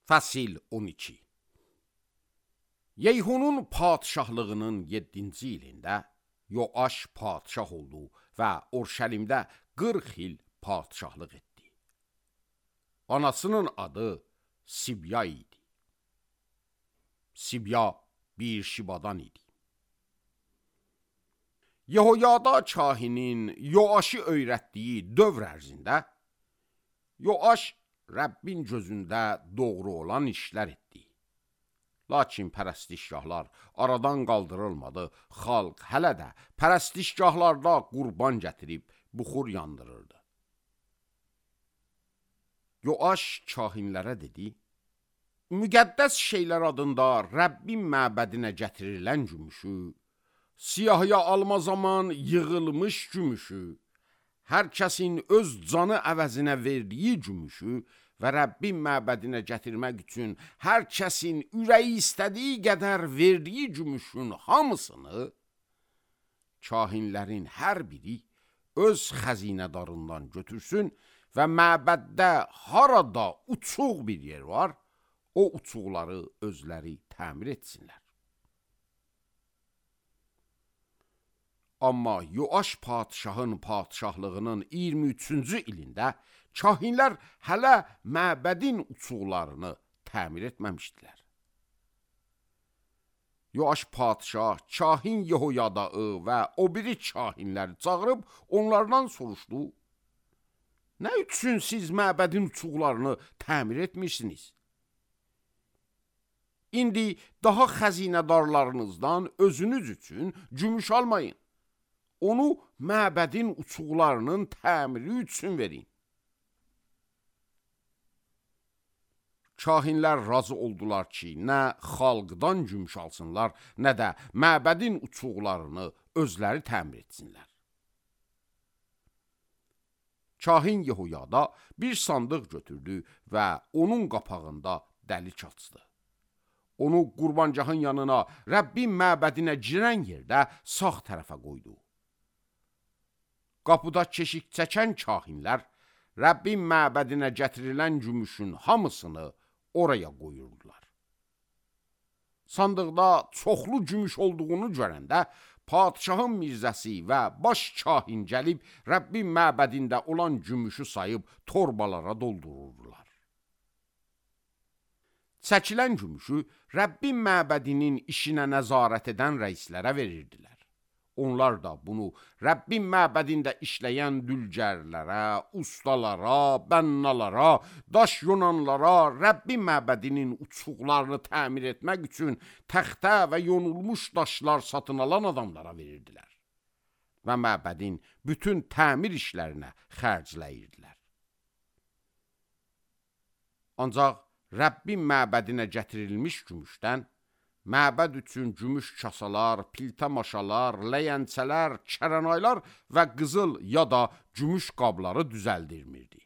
Fəsil 12. Yeyhunun padişahlığının 7-ci ilində Yoaş padişah oldu və Urşəlimdə 40 il padişahlıq etdi. Anasının adı Sibya idi. Sibya bir şibadan idi. Yehoyada kahinin Yoaşı öyrətdiyi dövr ərzində Yoaş Rəbbin gözündə doğru olan işlər etdi. Lakin pərəstişgahlar aradan qaldırılmadı. Xalq hələ də pərəstişgahlarda qurban gətirib buxur yandırırdı. Yoaş kahinlərə dedi: müqəddəs şeylər adında Rəbbin məbədinə gətirilən gümüşü, siyahıya alma zaman yığılmış gümüşü, hər kəsin öz canı əvəzinə verdiyi gümüşü və Rəbbin məbədinə gətirmək üçün hər kəsin ürəyi istədiyi qədər verdiyi gümüşün hamısını kahinlərin hər biri öz xəzinədarından götürsün və məbəddə harada uçuq bir yer var, o uçuqları özləri təmir etsinlər. Amma Yoaş padişahın padişahlığının 23-cü ilində kahinlər hələ məbədin uçuqlarını təmir etməmişdilər. Yoaş padişah kahin Yehoyadaı və o biri kahinləri çağırıb onlardan soruşdu: nə üçün siz məbədin uçuqlarını təmir etmişsiniz? İndi daha xəzinədarlarınızdan özünüz üçün gümüş almayın. Onu məbədin uçuqlarının təmiri üçün verin. Kahinlər razı oldular ki, nə xalqdan gümüş alsınlar, nə də məbədin uçuqlarını özləri təmir etsinlər. Kahin Yehoyada bir sandıq götürdü və onun qapağında dəlik açdı. Onu qurbancağın yanına, Rəbbin məbədinə girən yerdə sağ tərəfə qoydu. Qapıda keşik çəkən kahinlər Rəbbin məbədinə gətirilən gümüşün hamısını oraya qoyurdular. Sandıqda çoxlu gümüş olduğunu görəndə padişahın mirzəsi və baş kahin gəlib Rəbbin məbədində olan gümüşü sayıb torbalara doldururdular. Çəkilən gümüşü Rəbbin məbədinin işinə nəzarət edən rəislərə verirdilər. Onlar da bunu Rəbbin məbədində işləyən dülgərlərə, ustalara, bənnalara, daş yonanlara, Rəbbin məbədinin uçuqlarını təmir etmək üçün təxtə və yonulmuş daşlar satın alan adamlara verirdilər və məbədin bütün təmir işlərinə xərcləyirdilər. Ancaq Rəbbin məbədinə gətirilmiş gümüşdən məbəd üçün gümüş kasalar, piltə maşalar, ləyəncələr, kərənaylar və qızıl ya da gümüş qabları düzəldirmirdi.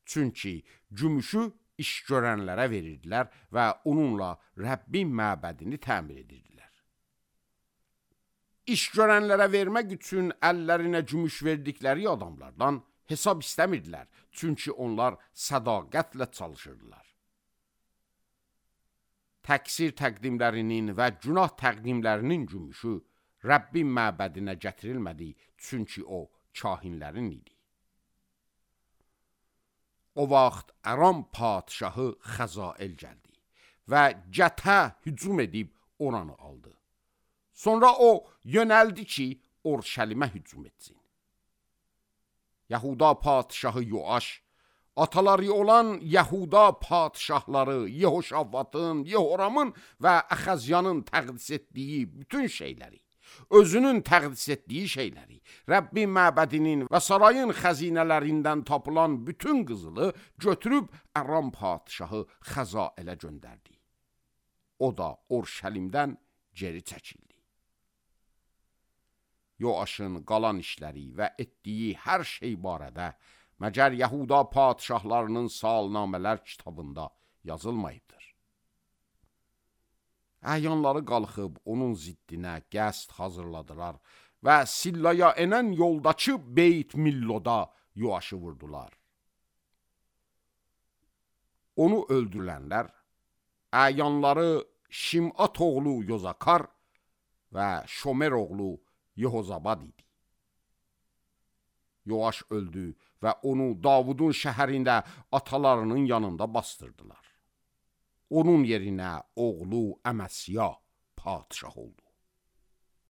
Çünki gümüşü iş görənlərə verirdilər və onunla Rəbbin məbədini təmir edirdilər. İş görənlərə vermək üçün əllərinə gümüş verdikləri adamlardan hesab istəmirdilər, çünki onlar sədaqətlə çalışırdılar. Təqsir təqdimlərinin və günah təqdimlərinin gümüşü Rəbbin məbədinə gətirilmədi, çünki o kahinlərin idi. O vaxt Aram padişahı Xəzael gəldi və Gətə hücum edib oranı aldı. Sonra o yönəldi ki, Urşəlimə hücum etsin. Yahuda padişahı Yoaş, ataları olan Yahuda padişahları Yehoşafatın, Yehoramın və Əxəzyanın təqdis etdiyi bütün şeyləri, özünün təqdis etdiyi şeyləri, Rəbbin məbədinin və sarayın xəzinələrindən tapılan bütün qızılı götürüb Aram padişahı Xəzaelə göndərdi. O da Urşəlimdən geri çəkildi. Yoaşın qalan işləri və etdiyi hər şey barədə məgər Yahuda padişahlarının salnamələr kitabında yazılmayıbdır. Əyanları qalxıb onun ziddinə qəsd hazırladılar və Sillaya enən yoldakı Beyt Milloda Yoaşı vurdular. Onu öldürülənlər əyanları Şimat oğlu Yozakar və Şomer oğlu Yehozabad idi. Yoaş öldü və onu Davudun şəhərində atalarının yanında bastırdılar. Onun yerinə oğlu Əməsya padişah oldu.